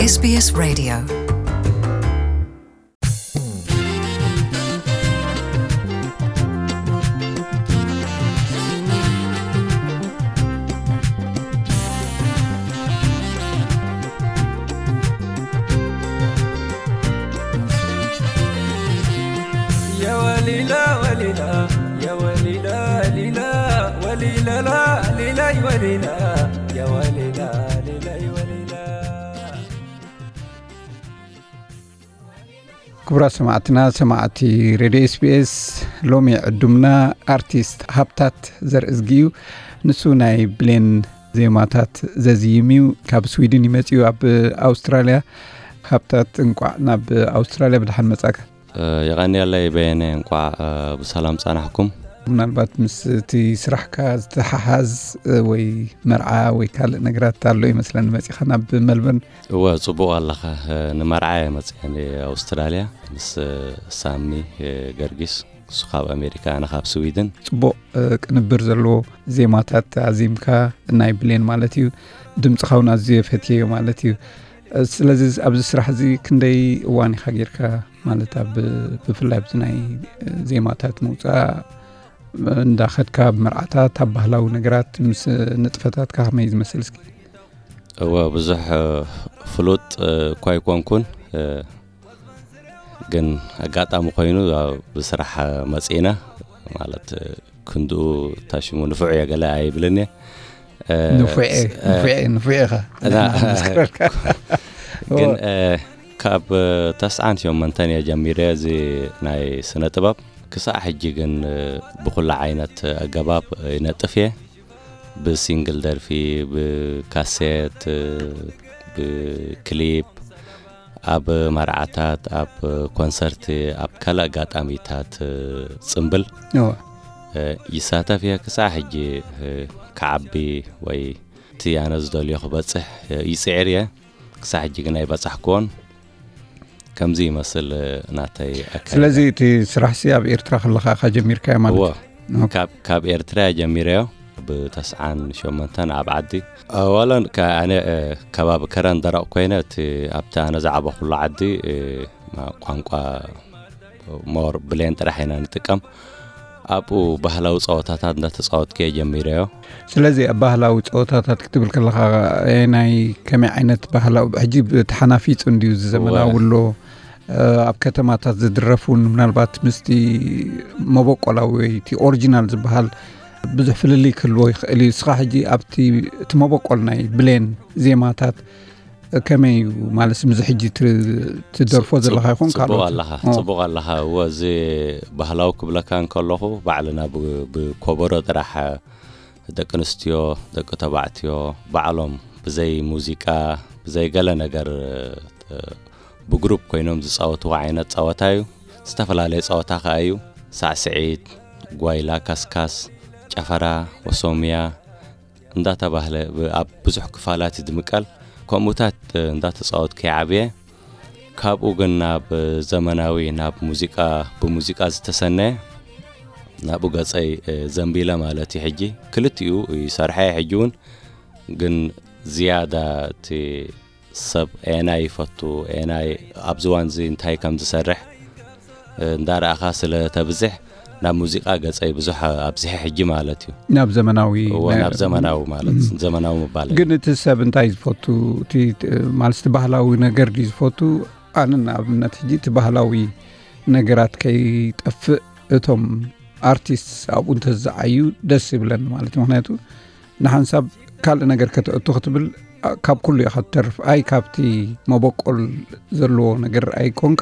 SBS Radio. ክቡራት ሰማዕትና፣ ሰማዕቲ ሬድዮ ኤስቢኤስ፣ ሎሚ ዕዱምና ኣርቲስት ሃብታት ዘርእዝጊ እዩ። ንሱ ናይ ብሌን ዜማታት ዘዝይም እዩ። ካብ ስዊድን ይመጽእ እዩ። ኣብ ኣውስትራልያ። ሃብታት፣ እንቋዕ ናብ ኣውስትራልያ ብደሓን መጻእካ። የቐንየለይ በየነ፣ እንቋዕ ብሰላም ጸናሕኩም። ምናልባት ምስ እቲ ስራሕካ ዝተሓሓዝ ወይ መርዓ ወይ ካልእ ነገራት ኣሎ ይመስለኒ መጺኻ ናብ መልበርን። እወ፣ ጽቡቕ ኣለኻ። ንመርዓ እየ መጽየ ኣውስትራልያ ምስ ሳሚ ገርጊስ፣ እሱ ካብ ኣሜሪካ፣ ኣነ ካብ ስዊድን። ጽቡቕ ቅንብር ዘለዎ ዜማታት ኣዚምካ፣ ናይ ብሌን ማለት እዩ። ድምጽኻ እውን ኣዝየ ፈትየዮ ማለት እዩ። ስለዚ ኣብዚ ስራሕ እዚ ክንደይ እዋን ኢኻ ጌርካ? ማለት ኣብ፣ ብፍላይ ኣብዚ ናይ ዜማታት ምውጻእ እንዳኸድካ፣ ኣብ መርዓታት፣ ኣብ ባህላዊ ነገራት ምስ ንጥፈታትካ ከመይ ዝመስል እስኪ? እወ፣ ብዙሕ ፍሉጥ እኳ ኣይኮንኩን፣ ግን ኣጋጣሚ ኮይኑ ኣብ ብስራሕ መጺእና፣ ማለት ክንድኡ ታሽሙ ንፉዕ እየ ገለ ኣይብልን እየ። ንፉዕ እየ፣ ንፉዕ እየ፣ ንፉዕ ኢኻ። እና ንሕና ንመስክረልካ። ግን እወ። ካብ ተስዓን ሸሞንተን እየ ጀሚረ እዚ ናይ ስነ ጥበብ። ክሳዕ ሕጂ ግን ብኹሉ ዓይነት ኣገባብ ይነጥፍ እየ። ብሲንግል ደርፊ፣ ብካሴት፣ ብክሊፕ፣ ኣብ መርዓታት፣ ኣብ ኮንሰርት፣ ኣብ ካልእ ኣጋጣሚታት ጽምብል እወ። ይሳተፍ እየ። ክሳዕ ሕጂ ክዓቢ ወይ እቲ ኣነ ዝደልዮ ክበጽሕ ይጽዕር እየ። ክሳዕ ሕጂ ግን ኣይበጻሕክዎን። ከምዚ ይመስል ናተይ ኣካይዳ። ስለዚ እቲ ስራሕሲ ኣብ ኤርትራ ከለኻ ኢኻ ጀሚርካዮ ማለት እወ፣ እዩ? ኦኬ። ካብ፣ ካብ ኤርትራ እየ ጀሚረዮ። ብተስዓን ሸሞንተን ኣብ ዓዲ። ኣዋለን ከ-፣ ኣነ፣ እ፣ ከባቢ ከረን ደረቕ ኮይነ፣ እቲ ኣብቲ ኣነ ዝዓበኹሉ ዓዲ፣ እ፣ ማ-፣ ቋንቋ ሞር ብሌን ጥራሕ ኢና ንጥቀም። ኣብኡ ባህላዊ ጸወታታት እንዳተጻወትኩ እየ ጀሚረዮ። ስለዚ ኣብ ባህላዊ ጸወታታት ክትብል ከለኻ፣ እ፣ ናይ ከመይ ዓይነት ባህላዊ፣ ሕጂ ብተሓናፊጹ እንድዩ፣ እዚ ዘመናዊ እወ። ኣሎ፣ እ፣ ኣብ ከተማታት ዝድረፍ እውን ምናልባት ምስቲ መበቆላዊ ወይ እቲ ኦሪጂናል ዝበሃል ብዙሕ ፍልልይ ክህልዎ ይኽእል እዩ። ንስኻ ሕጂ ኣብቲ፣ እቲ መበቆል ናይ ብሌን ዜማታት ከመይ እዩ? ማለት፣ ምስ ሕጂ ት-፣ ትደርፎ ጽ-፣ ዘለኻ ይኹን ጽቡቕ ካልኦት? ኣለኻ፣ ኦ። ጽቡቕ ኣለኻ። እወ፣ እዚ ባህላዊ ክብለካ እንከለኹ፣ ባዕልና ብ-፣ ብኮበሮ ጥራሕ፣ ደቂ ኣንስትዮ፣ ደቂ ተባዕትዮ፣ ባዕሎም ብዘይ ሙዚቃ፣ ብዘይ ገለ ነገር፣ እ፣ ብግሩፕ ኮይኖም ዝጻወትዎ ዓይነት ጸወታ እዩ። ዝተፈላለየ ጸወታ ከኣ እዩ። ሳዕስዒት፣ ጓይላ፣ ካስካስ፣ ጨፈራ፣ ወሶምያ፣ እንዳተባህለ ብ-፣ ኣብ ብዙሕ ክፋላት ይድምቀል። ከምኡታት እንዳተጻወትኩ እየ ዓብየ። ካብኡ ግን ናብ ዘመናዊ፣ ናብ ሙዚቃ፣ ብሙዚቃ ዝተሰነየ ናብኡ ገጸይ፣ እ፣ ዘንቢለ ማለት እዩ። ሕጂ ክልቲኡ ይሰርሐ እየ። ሕጂ እውን ግን ዝያዳ እቲ ሰብ ኤናይ ይፈቱ፣ ኤናይ ኣብዚ እዋን እዚ እንታይ ከም ዝሰርሕ፣ እ፣ እንዳረኣኻ ስለ ተብዝሕ፣ ናብ ሙዚቃ ገጸይ ብዙሕ ኣብዝሐ ሕጂ ማለት እዩ። ናብ ዘመናዊ እዎ፣ ናይ ናብ ዘመናዊ ማለት፣ እም። ዘመናዊ ምባል እዩ። ግን እቲ ሰብ እንታይ ዝፈቱ? እቲ፣ ት-፣ ማለት እቲ ባህላዊ ነገር ድዩ ዝፈቱ? ኣነ ንኣብነት ሕጂ እቲ ባህላዊ ነገራት ከይጠፍእ እቶም ኣርቲስት ኣብኡ እንተዝዓዩ ደስ ይብለኒ ማለት እዩ። ምኽንያቱ ንሓንሳብ ካልእ ነገር ከተእቱ ክትብል፣ ኣ፣ ካብ ኩሉ ኢኻ ትተርፍ። ኣይ ካብቲ መበቆል ዘለዎ ነገር ኣይኮንካ፣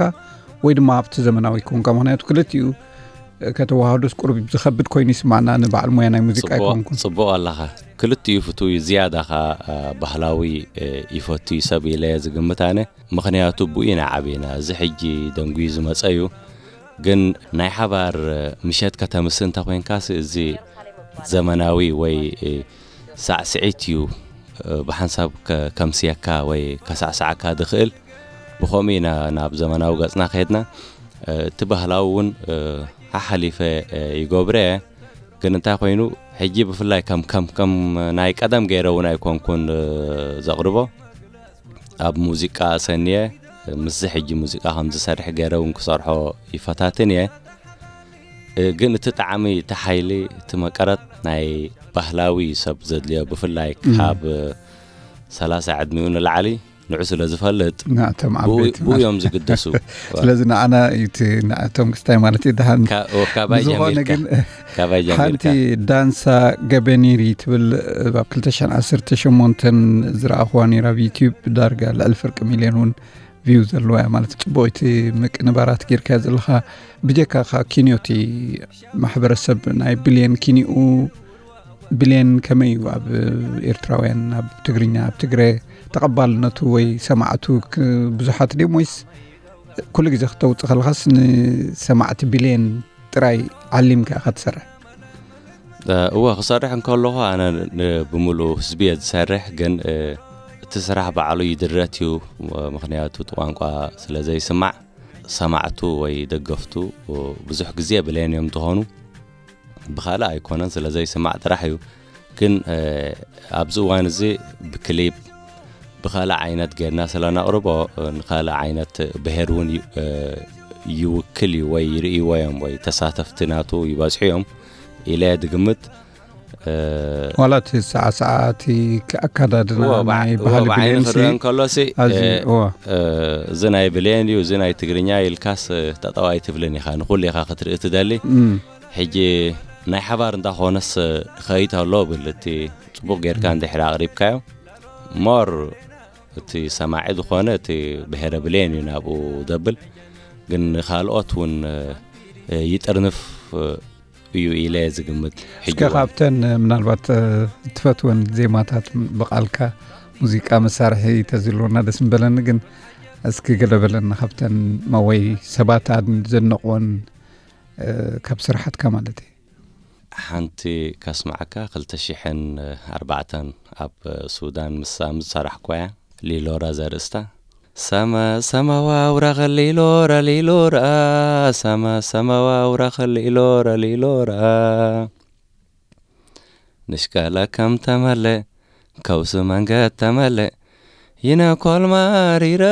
ወይ ድማ ኣብቲ ዘመናዊ ኮንካ። ምኽንያቱ ክልቲኡ፣ እ፣ ከተወሃህዶስ ቁሩብ ዝኸብድ ኮይኑ ይስማዕና፣ ንበዓል ሞያ ናይ ሙዚቃ ጽቡቕ፣ ኣይኮንኩን። ጽቡቕ ኣለኻ። ክልቲኡ ፍቱው እዩ። ዝያዳ ኸኣ፣ እ፣ ባህላዊ፣ እ፣ ይፈቱ እዩ ሰብ ኢለ እየ ዝግምት ኣነ። ምኽንያቱ ብኡ ኢና ዓቢና። እዚ ሕጂ ደንጉዩ ዝመጸ እዩ። ግን ናይ ሓባር ምሸት ከተምሲ እንተ ኮይንካስ፣ እዚ ዘመናዊ ወይ ሳዕስዒት እዩ ብሓንሳብ ከ-፣ ከምስየካ ወይ ከሳዕስዓካ ዝኽእል። ብኸምኡ ኢና ናብ ዘመናዊ ገጽና ከይድና። እቲ ባህላዊ እውን ሓሓሊፈ ይገብረ እየ። ግን እንታይ ኮይኑ፣ ሕጂ ብፍላይ ከም፣ ከም፣ ከም ናይ ቀደም ገይረ እውን ኣይኮንኩን ዘቕርቦ። ኣብ ሙዚቃ ሰንየ ምስዚ ሕጂ ሙዚቃ ከም ዝሰርሕ ገይረ እውን ክሰርሖ ይፈታትን እየ። ግን እቲ ጣዕሚ፣ እቲ ሓይሊ፣ እቲ መቀረት ናይ ባህላዊ ሰብ ዘድልዮ፣ ብፍላይ ካብ ሰላሳ ዕድሚኡ ንላዕሊ ንዑ ስለ ዝፈልጥ፣ ናቶም ዓበይቲ ብኡ እዮም ዝግደሱ። ስለዚ ንዓና እዩ እቲ ንዕቶም ክስታይ ማለት እዩ። ደሓን ካባይ ብዝኾነ ጀሚርካ ግን ካባይ ሓንቲ ጀሚርካ ዳንሳ ገበኒሪ ትብል ኣብ ክልተ ሽሕን ዓሰርተ ሸሞንተን ዝረኣኹዋ ነይራ ኣብ ዩቲዩብ። ዳርጋ ልዕሊ ፍርቂ ሚልዮን እውን ቪው ዘለዋ እያ ማለት እዩ። ጽቡቕ እቲ ምቅንባራት ጌርካ ዘለኻ። ብጀካ ካ ኪንዮ እቲ ማሕበረሰብ ናይ ብልየን ኪንኡ ብልየን ከመይ እዩ ኣብ ኤርትራውያን፣ ኣብ ትግርኛ፣ ኣብ ትግረ ተቐባልነቱ ወይ ሰማዕቱ ክ- ብዙሓት ድዮም ወይስ ኩሉ ግዜ ክተውፅእ ከለኻስ ንሰማዕቲ ብልየን ጥራይ ዓሊምካ ኢኻ ትሰርሕ? እወ፣ ክሰርሕ እንከለኹ ኣነ ን- ብምሉእ ህዝቢ እየ ዝሰርሕ። ግን እቲ ስራሕ ባዕሉ ይድረት እዩ። ምክንያቱ እቲ ቋንቋ ስለ ዘይስማዕ ሰማዕቱ ወይ ደገፍቱ ብዙሕ ግዜ ብልየን እዮም ዝኾኑ። ብኻልእ ኣይኮነን፣ ስለ ዘይስማዕ ጥራሕ እዩ። ግን ኣብዚ እዋን እዚ ብክሊፕ ብኻልእ ዓይነት ጌርና ስለነቕርቦ ንኻልእ ዓይነት ብሄር እውን ዩ- ይውክል እዩ ወይ ይርእይዎ እዮም ወይ ተሳተፍቲ ናቱ ይበዝሑ እዮም ኢለ እየ ዝግምት። ዋላ እቲ ሰዓሰዓ እቲ ኣካዳድና ናይ ባህሊ ብዓይኒ ብሌንሲ ክረአ እንከሎሲ ኣዚ እዋ እዚ ናይ ብሌን እዩ፣ እዚ ናይ ትግርኛ ኢልካስ ጠጠው ኣይትብልን ኢኻ፣ ንኹሉ ኢኻ ክትርኢ ትደሊ። ሕጂ ናይ ሓባር እንዳኾነስ ኸይድ ኣሎ ብል፣ እቲ ጽቡቕ ጌርካ እንድሕር ኣቕሪብካዮ ሞር እቲ ሰማዒ ዝኾነ እቲ ብሄረ ብሌን እዩ ናብኡ ደብል። ግን ካልኦት እውን ይጥርንፍ እዩ ኢለ ዝግምት። ሕጂ እስከ ካብተን ምናልባት ትፈትወን ዜማታት ብቓልካ ሙዚቃ መሳርሒ ተዝህልወና ደስ ምበለኒ። ግን እስኪ ገለ በለና ካብተን መወይ ሰባት ኣድ- ዘድነቕወን ካብ ስራሓትካ ማለት እዩ። ሓንቲ ከስማዓካ፣ ክልተ ሽሕን ኣርባዕተን ኣብ ሱዳን ምስ ምስ ዝሰራሕኩዋ እያ፣ ሊሎራ ዘርእስታ። ሰመ ሰመዋ ውራኸ ሊሎራ ሊሎራ፣ ሰመ ሰመዋ ውራኸ ሊሎራ ሊሎራ። ንሽቀለ ከም ተመለ ከውስ መንገድ ተመለ፣ ይነ ኮልማሪረ፣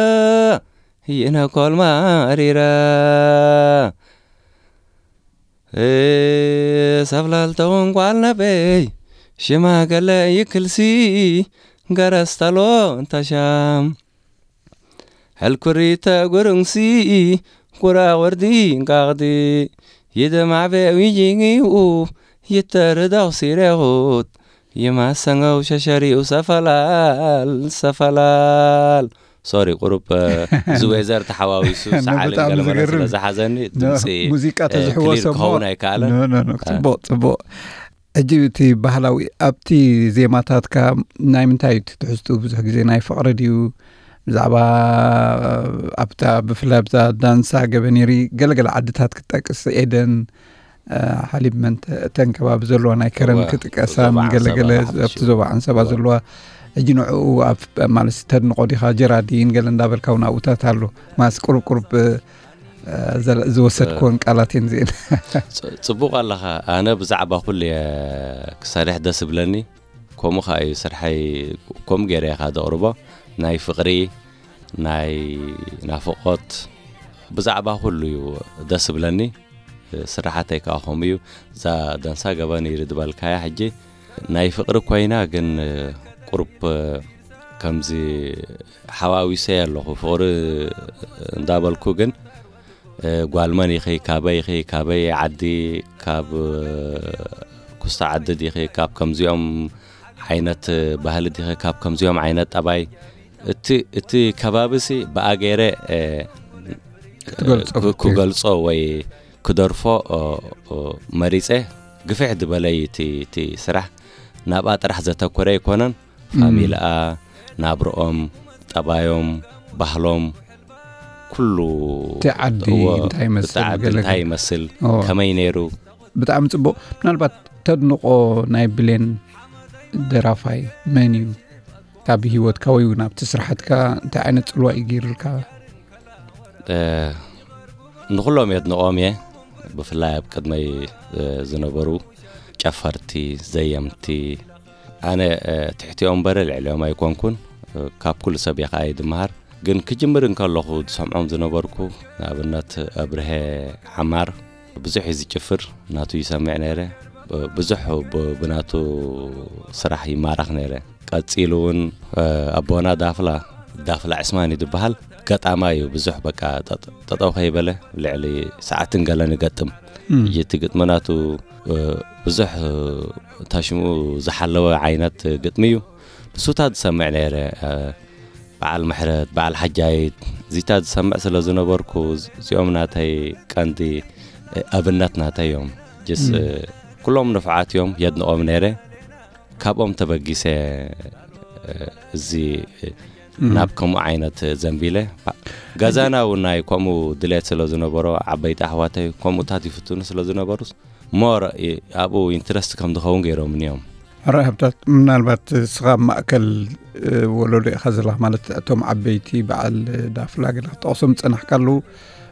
ይነ ኮልማሪረ። ሰብላል ተወንቋል ነበይ ሽማገለ ይክልሲ፣ ገረስተሎ እንተሻም ሕልኩሪተ ጉርንሲ፣ ቁራ ወርዲ እንቃቕዲ ይደማዕበ ዊጂጊኡ፣ ይተርዳው ሲሬኹት ይማሰንገው ሸሸሪኡ ሰፈላል ሰፈላል። ሶሪ፣ ቁሩብ እዚ ዌዘር ተሓዋዊሱ ሰዓልን ብጣዕሚ ገለመለ ዝገርም። ስለ ዝሓዘኒ ድምፂ ሙዚቃ እ፣ ተዝሕወሶ ክሊር እሞ- ክኸውን ኣይከኣለን። ኖ፣ ኖ፣ ኖ፣ ጽቡቕ ጽቡቕ። ሕጂ እቲ ባህላዊ ኣብቲ ዜማታትካ ናይ ምንታይ እዩ እቲ ትሕዝትኡ? ብዙሕ ግዜ ናይ ፍቕሪ ድዩ? ብዛዕባ ኣብታ ብፍላይ ኣብዛ ዳንሳ ገበኔሪ ገለገለ ዓድታት ክትጠቅስ፣ ኤደን፣ ሓሊብ፣ መን፣ እተን ከባቢ ዘለዋ ናይ ከረን እወ፣ ክጥቀሳን ዞባ ዓንሰባ ገለገለ ብሓፈሽኡ። ኣብቲ ዞባ ዓንሰባ እወ። ዘለዋ። ሕጂ ንዕኡ ኣብ ማለት ተድንቆ ዲኻ? ጀራዲን ገለ እንዳበልካ እውን ኣብኡታት ኣሎ። ማስ ቁሩብ ቁሩብ ዝወሰድክዎን ቃላት እየን እዚአን። ጽቡቕ ኣለኻ። ኣነ ብዛዕባ ኩሉ እየ ክሰርሕ ደስ ይብለኒ። ከምኡ ኸዓ እዩ ስርሐይ። ከምኡ ገይረ እየ ኸዓ ዘቕርቦ። ናይ ፍቕሪ፣ ናይ ናፍቖት፣ ብዛዕባ ኩሉ እዩ ደስ ይብለኒ። ስራሓተይ ከዓ ከምኡ እዩ። እዛ ደንሳ ገበን ይሪ ዝበልካያ ሕጂ ናይ ፍቕሪ ኮይና፣ ግን ቁሩብ ከምዚ ሓዋዊሰ ኣለኹ። ፍቕሪ እንዳበልኩ ግን ጓል መን ኢኺ፣ ካበይ ኢኺ፣ ካበይ ዓዲ፣ ካብ ኩስታ ዓዲ ዲኺ፣ ካብ ከምዚኦም ዓይነት ባህሊ ዲኺ፣ ካብ ከምዚኦም ዓይነት ጠባይ፣ እቲ እቲ ከባቢሲ ብኣገይረ ክትገልጾ ክገልጾ ወይ ክደርፎ መሪጸ። ግፍሕ ዝበለይ እቲ እቲ ስራሕ ናብኣ ጥራሕ ዘተኮረ ኣይኮነን። ፋሚልኣ፣ ናብርኦም፣ ጠባዮም፣ ባህሎም፣ ኩሉ እቲ ዓዲ እዎ፣ እንታይ ይመስል፣ እቲ ዓዲ ገለ እንታይ ገለ። ይመስል፣ እዎ። ከመይ ነይሩ። ብጣዕሚ ጽቡቕ። ምናልባት ተድንቆ ናይ ብሌን ደራፋይ መን እዩ? ካብ ህይወትካ ወይ እውን ኣብቲ ስራሓትካ እንታይ ዓይነት ጽልዋ እዩ ገይሩልካ? እ፣ ንኹሎም የድንቖም እየ። ብፍላይ ኣብ ቅድመይ እ፣ ዝነበሩ ጨፈርቲ፣ ዘየምቲ፣ ኣነ እ፣ ትሕቲኦም እምበር ልዕሊኦም ኣይኮንኩን። ካብ ኩሉ ሰብ እየ ከኣ እየ ዝመሃር። ግን ክጅምር እንከለኹ ዝሰምዖም ዝነበርኩ፣ ንኣብነት ኣብርሀ ዓማር ብዙሕ እዩ ዝጭፍር፣ ናቱ ይሰምዕ ነይረ። ብዙሕ ብ-፣ ብናቱ ስራሕ ይማረኽ ነይረ። ቀጺሉ እውን፣ እ፣ ኣቦና ዳፍላ፣ ዳፍላ ዕስማን እዩ ዝበሃል። ገጣማ እዩ፣ ብዙሕ በቃ ጠጥ-፣ ጠጠው ከይበለ ልዕሊ ሰዓትን ገለን ይገጥም። እም። እቲ ግጥሚ ናቱ፣ እ፣ ብዙሕ፣ እ፣ ታሽምኡ ዝሓለወ ዓይነት ግጥሚ እዩ። ንሱታት ዝሰምዕ ነይረ፣ እ፣ በዓል ምሕረት፣ በዓል ሓጃይት፣ እዚታት ዝሰምዕ ስለ ዝነበርኩ፣ እዚኦም ናተይ ቀንዲ፣ እ፣ ኣብነት ናተይ እዮም። ጅስ፣ እም። እ፣ ኩሎም ንፉዓት እዮም፣ የድንቖም ነይረ። ካብኦም ተበጊሰ፣ እ፣ እዚ፣ እ፣ እም። ናብ ከምኡ ዓይነት ዘንቢለ። ገዛና እውን ናይ ከምኡ ድሌት ስለ ዝነበሮ፣ ዓበይቲ ኣሕዋተይ ከምኡታት ይፍትኑ ስለ ዝነበሩስ፣ ሞር እ፣ ኣብኡ ኢንትረስት ከም ዝኸውን ገይሮምኒ እዮም። ሕራይ ሃብታት፣ ምናልባት ንስኻ ኣብ ማእከል፣ እ፣ ወለዶ ኢኻ ዘለኻ፣ ማለት እቶም ዓበይቲ በዓል ዳፍላ ገለ ክትጠቕሶም ዝጸናሕካ ኣለዉ፣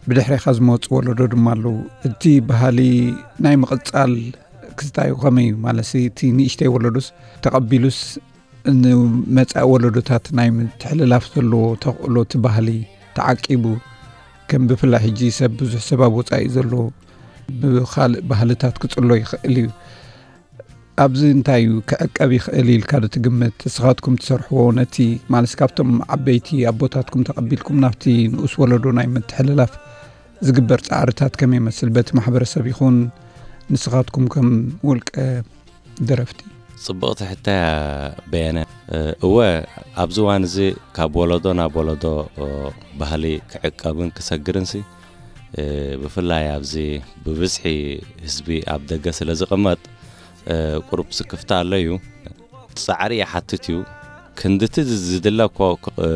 ብድሕሬኻ ዝመጹ ወለዶ ድማ ኣለዉ። እቲ ባህሊ ናይ ምቕጻል ክስታይ ከመይ እዩ? ማለትሲ እቲ ንእሽተይ ወለዶስ ተቐቢሉስ ንመጻኢ ወለዶታት ናይ ምትሕልላፍ ዘለዎ ተኽእሎ፣ እቲ ባህሊ ተዓቂቡ፣ ከም ብፍላይ ሕጂ ሰብ፣ ብዙሕ ሰብ ኣብ ወጻኢ ዘሎ ብኻልእ ባህልታት ክጽሎ ይኽእል እዩ። ኣብዚ እንታይ እዩ ክዕቀብ ይኽእል ኢልካ ዶ ትግምት? ንስኻትኩም ትሰርሕዎ ነቲ፣ ማለት ካብቶም ዓበይቲ ኣቦታትኩም ተቐቢልኩም ናብቲ ንኡስ ወለዶ ናይ ምትሕልላፍ ዝግበር ጻዕርታት ከመይ ይመስል? በቲ ማሕበረሰብ ይኹን ንስኻትኩም ከም ውልቀ ደረፍቲ? ጽብቕቲ ሕቶ እያ በየነ። እ፣ እወ፣ ኣብዚ እዋን እዚ ካብ ወለዶ ናብ ወለዶ፣ እ፣ ባህሊ ክዕቀብን ክሰግርንሲ፣ እ፣ ብፍላይ ኣብዚ ብብዝሒ ህዝቢ ኣብ ደገ ስለ ዝቕመጥ፣ እ፣ ቁሩብ ስክፍታ ኣሎ እዩ። ጻዕሪ ይሓትት እዩ። ክንድቲ ዝ-፣ ዝድለ እኮ ክ-፣ እ፣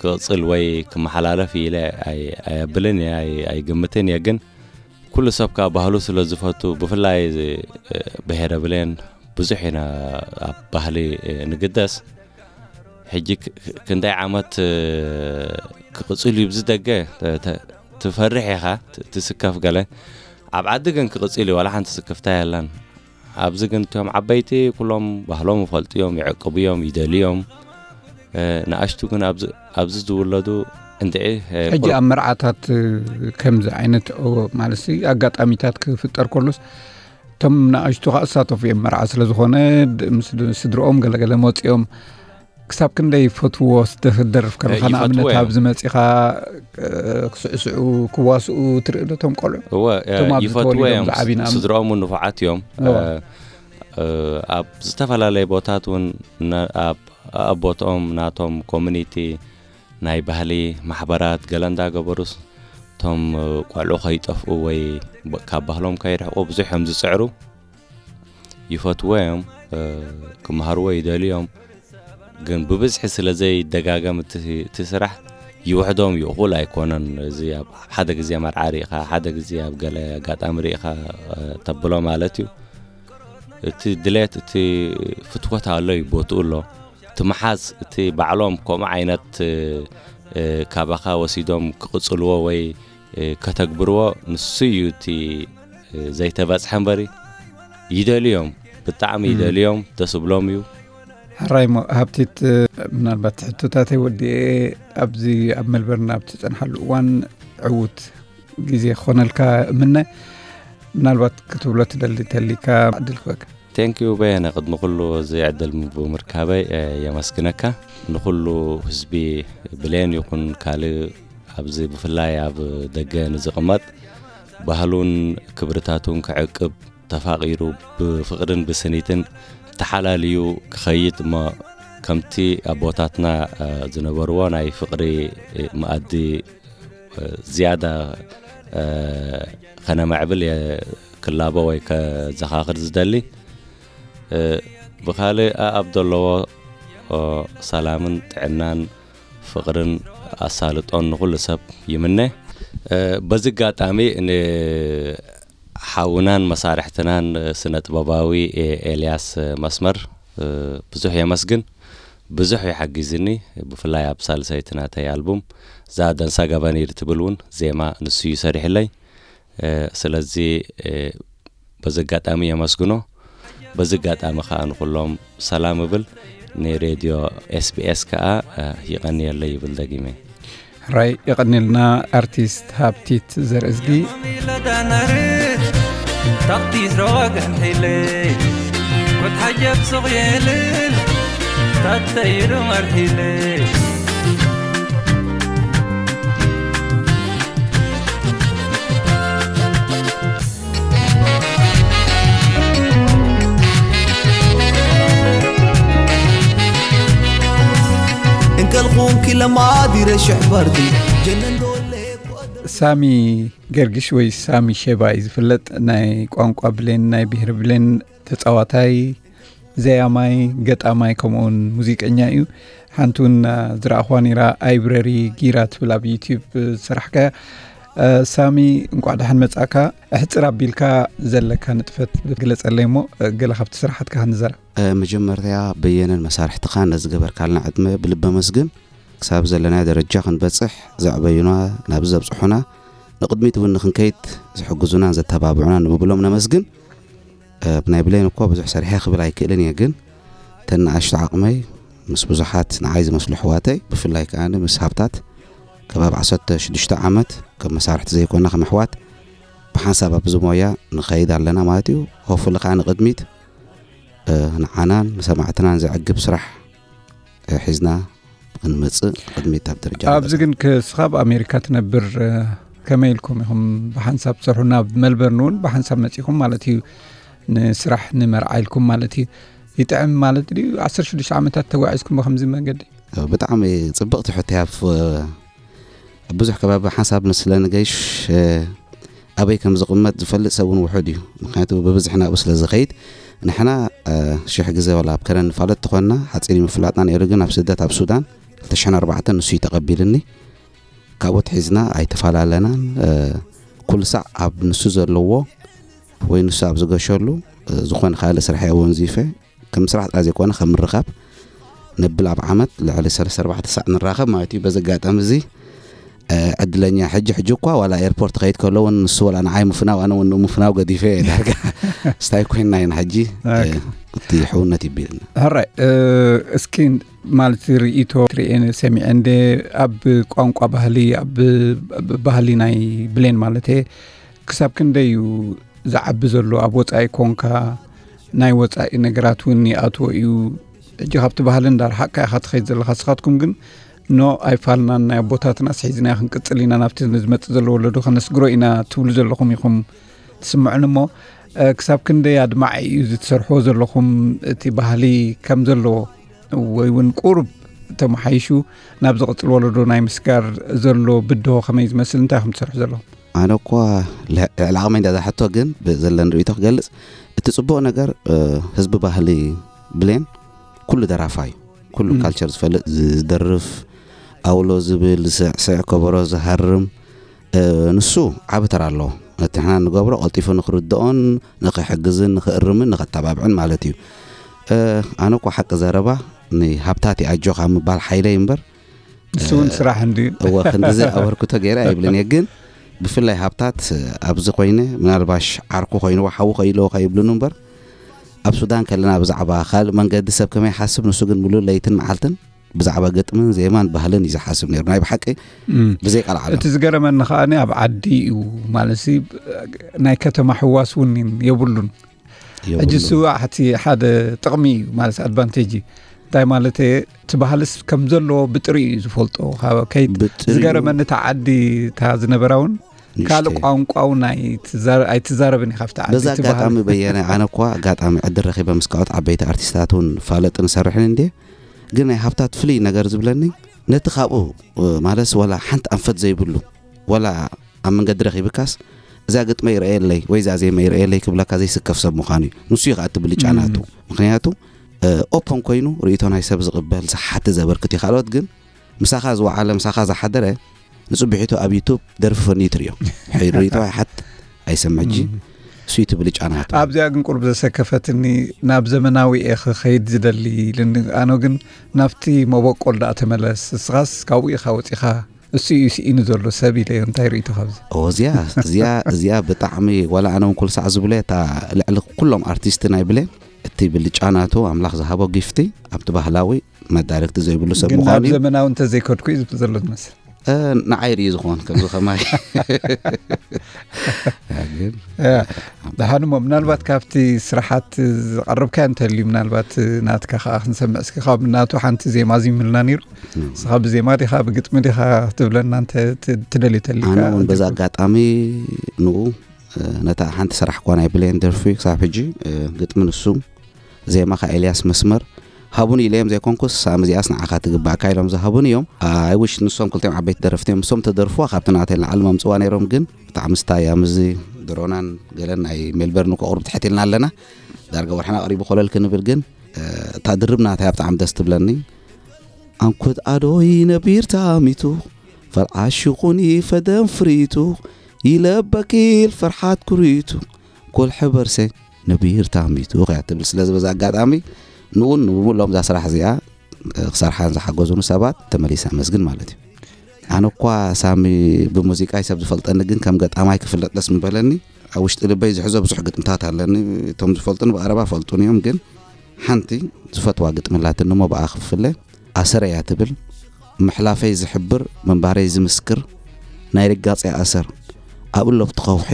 ክቕጽል ወይ ክመሓላለፍ ኢለ ኣይ-፣ ኣየብልን እየ፣ ኣይ-፣ ኣይግምትን እየ። ግን ኩሉ ሰብ ከኣ ባህሉ ስለ ዝፈቱ፣ ብፍላይ፣ እ፣ ብሄረ ብሌን ብዙሕ ኢና ኣብ ባህሊ፣ እ፣ ንግደስ። ሕጂ ክ-፣ ክ-፣ ክንደይ ዓመት፣ እ፣ ክቕጽል እዩ ብዚ ደገ ተ-፣ ተ-፣ ትፈርሕ ኢኻ፣ ት-፣ ትስከፍ ገለ። ኣብ ዓዲ ግን ክቕጽል እዩ፣ ዋላ ሓንቲ ስክፍታ የላን። ኣብዚ ግን እቶም ዓበይቲ ኩሎም ባህሎም ይፈልጡ እዮም፣ ይዕቅቡ እዮም፣ ይደልዩ እዮም። እ፣ ንኣሽቱ ግን ኣብዚ፣ ኣብዚ ዝውለዱ እንድዒ፣ እ፣ ሕጂ ቁሩብ ኣብ መርዓታት፣ እ፣ ከምዚ ዓይነት፣ ኦ፣ ማለትሲ ኣጋጣሚታት ክፍጠር ከሎስ፣ እቶም ንኣሽቱ ኸኣ ዝሳተፉ እዮም። መርዓ ስለ ዝኾነ፣ ድ-፣ ምስ ድ-፣ ስድርኦም ገለገለ መጺኦም፣ ክሳብ ክንደይ ይፈትውዎ? ስደ-፣ ክትደርፍ ከለኻ፣ እ፣ ንኣብነት ይፈትዎ እዮም። ኣብዚ መጺኻ፣ እ፣ ክስዕስዑ፣ ክዋስኡ ትርኢ ዶ እቶም ቆልዑ? እወ፣ እ፣ እቶም ኣብዚ ይፈትዎ ተወሊዶም እዮም። ዝዓብዩ ንኣም-፣ ስድርኦም እውን ንፉዓት እዮም። እወ። እ፣ እ፣ ኣብ ዝተፈላለየ ቦታት እውን ና-፣ ኣብ ኣቦትኦም ናቶም ኮሚኒቲ ናይ ባህሊ ማሕበራት ገለ እንዳገበሩስ፣ እቶም፣ እ፣ ቆልዑ ከይጠፍኡ ወይ ብ-፣ ካብ ባህሎም ከይርሕቁ ብዙሕ እዮም ዝጽዕሩ። ይፈትዎ እዮም፣ እ፣ ክመሃርዎ ይደልዩ እዮም። ግን ብብዝሒ ስለ ዘይደጋገም እቲ፣ እቲ ስራሕ ይውሕዶም እዩ፣ እኹል ኣይኮነን። እዚ ኣብ ሓደ ግዜ መርዓ ርኢኻ፣ ሓደ ግዜ ኣብ ገለ ኣጋጣሚ ርኢኻ፣ እ፣ ተብሎ ማለት እዩ። እቲ ድሌት፣ እቲ ፍትወት ኣሎ እዩ፣ ቦትኡ ኣሎ። እቲ ምሓዝ፣ እቲ ባዕሎም ከምኡ ዓይነት፣ እ፣ እ፣ ካባኻ ወሲዶም ክቕጽልዎ ወይ፣ እ፣ ከተግብርዎ፣ ንሱ እዩ እቲ፣ እ፣ ዘይተበጽሐ እምበሪ፣ ይደልዮም፣ ብጣዕሚ እም። ይደልዮም፣ ደስ ብሎም እዩ። ሕራይ እሞ፣ ሃብቲት፣ ምናልባት ሕቶታተይ ወዲኤ፣ ኣብዚ ኣብ መልበርን ኣብ ትጸንሓሉ እዋን ዕዉት ግዜ ክኾነልካ እምነ። ምናልባት ክትብሎ ትደሊ ተሊካ ዕድል ክበካ። ቴንክ ዩ በየነ፣ ቅድሚ ኩሉ እዚ ዕድል ም-፣ ብምርካበይ፣ እ፣ የመስግነካ። ንኹሉ ህዝቢ ብሌን ይኹን ካልእ ኣብዚ ብፍላይ ኣብ ደገ ንዝቕመጥ ባህሉን ክብርታቱን ክዕቅብ ተፋቒሩ ብፍቕርን ብስኒትን ተሓላልዩ ክኸይድ እሞ ከምቲ ኣቦታትና፣ እ፣ ዝነበርዎ ናይ ፍቕሪ፣ እ፣ መኣዲ፣ እ፣ ዝያዳ፣ እ፣ ከነማዕብል እየ ክላቦ ወይ ከዘኻኽር ዝደሊ። እ፣ ብኻልእ ኣኣብ ዘለዎ፣ ኦ፣ ሰላምን ጥዕናን ፍቕርን ኣሳልጦን ንኹሉ ሰብ ይምነ። እ፣ በዚ ኣጋጣሚ ንሓውናን መሳርሕትናን ስነ ጥበባዊ ኤ-፣ ኤልያስ መስመር፣ እ፣ ብዙሕ የመስግን። ብዙሕ እዩ ሓጊዝኒ። ብፍላይ ኣብ ሳልሰይቲ ናተይ ኣልቡም እዛ ደንሳ ገበኒር ትብል እውን ዜማ ንሱ እዩ ሰሪሕለይ። እ፣ ስለዚ፣ እ፣ በዚ ኣጋጣሚ የመስግኖ። በዚ ኣጋጣሚ ከኣ ንኹሎም ሰላም እብል። ንሬድዮ SBS ከኣ የቐንየለይ ይብል ደጊመ። ሕራይ የቐንየልና ኣርቲስት ሃብቲት ዘርእዝጊ። ታኽቲ ዝረዋግን ሒለ ኩት ሓጀብ ሱቕ የልል ታተይሩ መርሒለ እንከልኹንኪ ለማዲረ ሽሕ በርዲ ጀነን ዶለ ሳሚ ገርግሽ ወይ ሳሚ ሼባ እዩ ዝፍለጥ። ናይ ቋንቋ ብሌን፣ ናይ ብሄር ብሌን ተፃዋታይ፣ ዘያማይ፣ ገጣማይ ከምኡውን ሙዚቀኛ እዩ። ሓንቲ እውን ዝረኣኹዋ ነይራ ኣይብረሪ ጊራ ትብል ኣብ ዩቲዩብ ዝሰራሕካያ። ሳሚ እንቋዕ ደሓን መጻእካ። ኣሕጽር ኣቢልካ ዘለካ ንጥፈት ግለጸለይ እሞ ገለ ካብቲ ስራሓትካ ክንዘራ። መጀመርያ በየነን መሳርሕትኻን ነዚ ገበርካልና ዕድመ ብልቢ ኣመስግን። ክሳብ ዘለናዮ ደረጃ ክንበጽሕ ዘዕበዩና፣ ናብዚ ዘብጽሑና፣ ንቕድሚት እውን ንኽንከይድ ዝሕግዙናን ዘተባብዑናን ንምብሎም ነመስግን። ብናይ ብሌን እኮ ብዙሕ ሰሪሐ ክብል ኣይክእልን እየ፣ ግን ተን ንኣሽቱ ዓቕመይ ምስ ብዙሓት ንዓይ ዝመስሉ ኣሕዋተይ፣ ብፍላይ ከኣ ምስ ሃብታት ከባቢ ዓሰርተ ሽዱሽተ ዓመት ከም መሳርሕቲ ዘይኮና ከም ኣሕዋት ብሓንሳብ ኣብዚ ሞያ ንኸይድ ኣለና ማለት እዩ። ሆፉሊ ከኣ ንቕድሚት ንዓናን ንሰማዕትናን ዘዕግብ ስራሕ ሒዝና ክንመጽእ ቅድሚት ኣብ ደረጃ ኣብዚ ግን ክስኻ ኣብ ኣሜሪካ ትነብር፣ ከመይ ኢልኩም ኢኹም ብሓንሳብ ትሰርሑ? ናብ መልበርን እውን ብሓንሳብ መጺኹም ማለት እዩ፣ ንስራሕ ንመርዓ ኢልኩም ማለት እዩ። ይጥዕም ማለት ድዩ? ዓሰርተ ሽዱሽተ ዓመታት ተጓዒዝኩም ብከምዚ መንገዲ? ብጣዕሚ ጽብቕቲ ሕቶ እያ። ኣብ ብዙሕ ከባቢ ሓንሳብ ንስለ ንገይሽ ኣበይ ከም ዝቕመጥ ዝፈልጥ ሰብ እውን ውሑድ እዩ። ምክንያቱ ብብዝሒ ናብኡ ስለ ዝኸይድ፣ ንሕና ሽሕ ግዜ ዋላ ኣብ ከረን ንፋለጥ ተኾንና፣ ሓፂር እዩ ምፍላጥና ነይሩ። ግን ኣብ ስደት ኣብ ሱዳን ክልተ ሽሕን ኣርባዕተን ንሱ እዩ ተቐቢልኒ። ካብኡ ትሒዝና ኣይተፈላለናን። ኩሉ ሳዕ ኣብ ንሱ ዘለዎ ወይ ንሱ ኣብ ዝገሸሉ ዝኾነ ካልእ ስራሕ እየ ወንዚፈ። ከም ስራሕ ጥራይ ዘይኮነ ከም ምርኻብ ነብል ኣብ ዓመት ልዕሊ ሰለስተ ኣርባዕተ ሳዕ ንራኸብ ማለት እዩ። በዚ ኣጋጣሚ እዚ ዕድለኛ ሕጂ ሕጂ እኳ ዋላ ኤርፖርት ከይድ ከሎ እውን ንሱ ዋላ ንዓይ ምፍናው ኣነ እውን ምፍናው ገዲፈ እየ ዳርጋ ስታይ ኮይንና ኢና ሕጂ እቲ ሕውነት ይቢልና። ሕራይ እስኪ ማለት ርእይቶ ትርኤ ሰሚዐ እንደ ኣብ ቋንቋ ባህሊ ኣብ ባህሊ ናይ ብሌን ማለት ክሳብ ክንደይ እዩ ዝዓቢ ዘሎ ኣብ ወፃኢ ኮንካ ናይ ወፃኢ ነገራት እውን ይኣትዎ እዩ። ሕጂ ካብቲ ባህሊ እንዳርሓቅካ ኢኻ ትኸይድ ዘለኻ። ንስኻትኩም ግን ኖ ኣይፋልናን ናይ ኣቦታትና ስሒዝና ክንቅፅል ኢና ናብቲ ንዝመፅእ ዘሎ ወለዶ ከነስግሮ ኢና ትብሉ ዘለኹም ኢኹም ትስምዑን እሞ ክሳብ ክንደይ ኣድማዒ እዩ እዚ ትሰርሕዎ ዘለኹም እቲ ባህሊ ከም ዘለዎ ወይ እውን ቁሩብ ተመሓይሹ ናብ ዝቕፅል ወለዶ ናይ ምስጋር ዘሎ ብድሆ ከመይ ዝመስል እንታይ ከም ትሰርሑ ዘለኹም? ኣነ እኳ ልዕሊ ዓቕመይ እንዳዛ ሕቶ ግን ብዘለኒ ርእይቶ ክገልፅ እቲ ፅቡቕ ነገር ህዝቢ ባህሊ ብሌን ኩሉ ደራፋ እዩ። ኩሉ ካልቸር ዝፈልጥ ዝደርፍ ኣውሎ ዝብል ዝስዕስዕ ከበሮ ዝሃርም ንሱ ዓቢ ተራ ኣለዎ። ነቲ ንሕና ንገብሮ ቀልጢፉ ንክርድኦን ንክሕግዝን ንክእርምን ንከተባብዕን ማለት እዩ። ኣነ እኳ ሓቂ ዘረባ ንሃብታት ይኣጆኻ ምባል ሓይለይ እምበር ንሱ እውን ስራሕ እንድዩ። እወ ክንድዚ ኣበርክቶ ገይረ ኣይብልን እየ፣ ግን ብፍላይ ሃብታት ኣብዚ ኮይነ ምናልባሽ ዓርኩ ኮይንዎ ሓዉ ከይለዎ ከይብሉን እምበር ኣብ ሱዳን ከለና ብዛዕባ ካልእ መንገዲ ሰብ ከመይ ሓስብ ንሱ ግን ምሉእ ለይትን መዓልትን ብዛዕባ ግጥምን ዜማን ባህልን እዩ ዝሓስብ ነይሩ። ናይ ብሓቂ ብዘይ ቃል ዓለም። እቲ ዝገረመኒ ከኣ ኣብ ዓዲ እዩ ማለት ናይ ከተማ ሕዋስ እውን የብሉን። ሕጂ እሱ ኣሕቲ ሓደ ጥቕሚ እዩ ማለት ኣድቫንቴጅ እዩ። እንታይ ማለት እቲ ባህልስ ከም ዘለዎ ብጥሪኡ እዩ ዝፈልጦ። ከይት ዝገረመኒ እታ ዓዲ እታ ዝነበራ እውን ካልእ ቋንቋ እውን ኣይትዛረብን እዩ ካብቲ ዓዲ። በዛ ኣጋጣሚ በየነ ኣነ እኳ ኣጋጣሚ ዕድል ረኺበ ምስ ካልኦት ዓበይቲ ኣርቲስታት እውን ፋለጥ ንሰርሕን እንድየ። ግን ናይ ሃብታት ፍልይ ነገር ዝብለኒ ነቲ ካብኡ ማለት ዋላ ሓንቲ ኣንፈት ዘይብሉ ዋላ ኣብ መንገዲ ረኺብካስ እዛ ግጥመ ይረኣየለይ ወይ እዛ ዜማ ይረኣየለይ ክብለካ ዘይስከፍ ሰብ ምዃኑ እዩ። ንሱ እዩ ከዓ እቲ ብልጫ ናቱ። ምክንያቱ ኦፕን ኮይኑ ርእይቶ ናይ ሰብ ዝቕበል ዝሓቲ ዘበርክት እዩ። ካልኦት ግን ምሳኻ ዝወዓለ ምሳኻ ዝሓደረ ንፅብሒቱ ኣብ ዩቱብ ደርፊ ፈንዩ ትርእዮ። ሕይ ርእይቶ ኣይሓት ኣይሰምዕ። ሕጂ እሱ እዩ እቲ ብልጫ ናቱ። ኣብዚኣ ግን ቁሩብ ዘሰከፈትኒ ናብ ዘመናዊ እየ ክኸይድ ዝደሊ ኢልኒ። ኣነ ግን ናብቲ መበቆል ደኣ ተመለስ፣ እስኻስ ካብኡ ኢኻ ወፂኻ፣ እሱ እዩ ስኢኑ ዘሎ ሰብ ኢለዮ። እንታይ ርእይቶ ካብዚ? እዚኣ እዚኣ እዚኣ ብጣዕሚ ዋላ ኣነ እውን ኩሉ ሳዕ ዝብሎ እታ ልዕሊ ኩሎም ኣርቲስት ናይ ብሌን እቲ ብልጫ ናቱ ኣምላኽ ዝሃቦ ጊፍቲ ኣብቲ ባህላዊ መዳርግቲ ዘይብሉ ሰብ ግን ምዃኑ ናብ እዩ። ዘመናዊ እንተዘይከድኩ እዩ ዝብል ዘሎ ዝመስል። እ፣ ንዓይ ርእዩ ዝኾን ከምዚ ከማይ ግን ያ፣ ደሓን እሞ ምናልባት ካብቲ ስራሓት ዝቐረብካዮ እንተልዩ ምናልባት ናትካ ከዓ ክንሰምዕ እስኪ። ካብ ናቱ ሓንቲ ዜማ ዚምልና ነይሩ። ንስኻ ብዜማ ዲኻ ብግጥሚ ዲኻ ክትብለና እንተ ት- ትደልዩ ተሊካ? ኣነ እውን በዛ ኣጋጣሚ ንኡ፣ እ፣ ነታ ሓንቲ ስራሕ እኳ ናይ ብሌን ደርፊ ክሳብ ሕጂ፣ እ፣ ግጥሚ ንሱ፣ ዜማ ከ ኤልያስ መስመር ሃቡን ኢለዮም ዘይኮንኩስ፣ ሳሚ እዚኣስ ንዓኻ ትግባእካ ኢሎም ዝሃቡን እዮም። ኣይ ዊሽ ንሶም ክልቲኦም ዓበይቲ ደረፍቲ እዮም። ንሶም ተደርፍዋ ካብቲ ናተይ ንላዕሊ መምፅዋ ነይሮም፣ ግን ብጣዕሚ ስታይ እያ። ምስዚ ድሮናን ገለን ናይ ሜልበርን እኮ ቁሩብ ትሕት ኢልና ኣለና። ዳርጋ ወርሕና ቀሪቡ ኮለል ክንብል፣ ግን፣ እ፣ እታ ድርብ ናታ እያ ብጣዕሚ ደስ ትብለኒ። ኣንኩት ኣዶይ ነቢር ታሚቱ፣ ፈልዓሹኹኒ ፈደም ፍሪቱ፣ ይለበኪል ፈርሓት ኩሪቱ፣ ኩል ሕበርሰ ነቢር ታሚቱ ከያ ትብል። ስለዚ በዛ ኣጋጣሚ ንኡን ንብሙሎም እዛ ስራሕ እዚኣ፣ እ፣ ክሰርሓን ዝሓገዙኒ ሰባት ተመሊሰ ኣመስግን ማለት እዩ። ኣነ እኳ ሳሚ ብሙዚቃይ ሰብ ዝፈልጠኒ፣ ግን ከም ገጣማይ ክፍለጥ ደስ ምበለኒ። ኣብ ውሽጢ ልበይ ዝሕዞ ብዙሕ ግጥምታት ኣለኒ። እቶም ዝፈልጡኒ ብቐረባ ፈልጡኒ እዮም፣ ግን ሓንቲ ዝፈትዋ ግጥሚ ኣላትኒ እሞ ብኣ ክፍለ። ኣሰር እያ ትብል። ምሕላፈይ ዝሕብር፣ ምንባረይ ዝምስክር፣ ናይ ርጋጽ እያ ኣሰር። ኣብ እሎፍቲ ከውሒ፣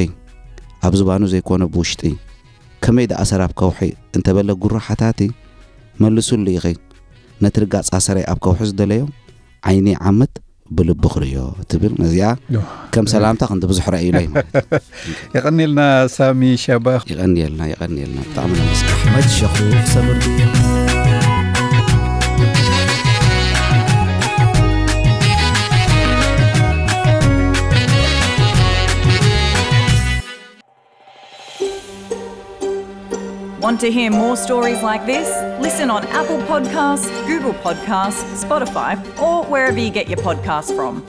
ኣብ ዝባኑ ዘይኮነ ብውሽጢ። ከመይ ደኣ ኣሰር ኣብ ከውሒ እንተበለ ጉሩ ሓታቲ፣ መልሱሉ ኢኺ። ነቲ ርጋጽ ኣሰረይ ኣብ ከውሒ ዝደለዮ፣ ዓይኒ ዓመት ብልቢ ክርእዮ ትብል። ነዚኣ ከም ሰላምታ ክንዲ ብዙሕ ረእዩለይ ማለት እዩ። የቐኒልና ሳሚ ሻባ። ይቐንየልና፣ ይቐንየልና። ብጣዕሚ ነመስግን። ኣሕመድ ሸኹ ሰምር ድዩ? Want to hear more stories like this? Listen on Apple Podcasts, Google Podcasts, Spotify, or wherever you get your podcasts from.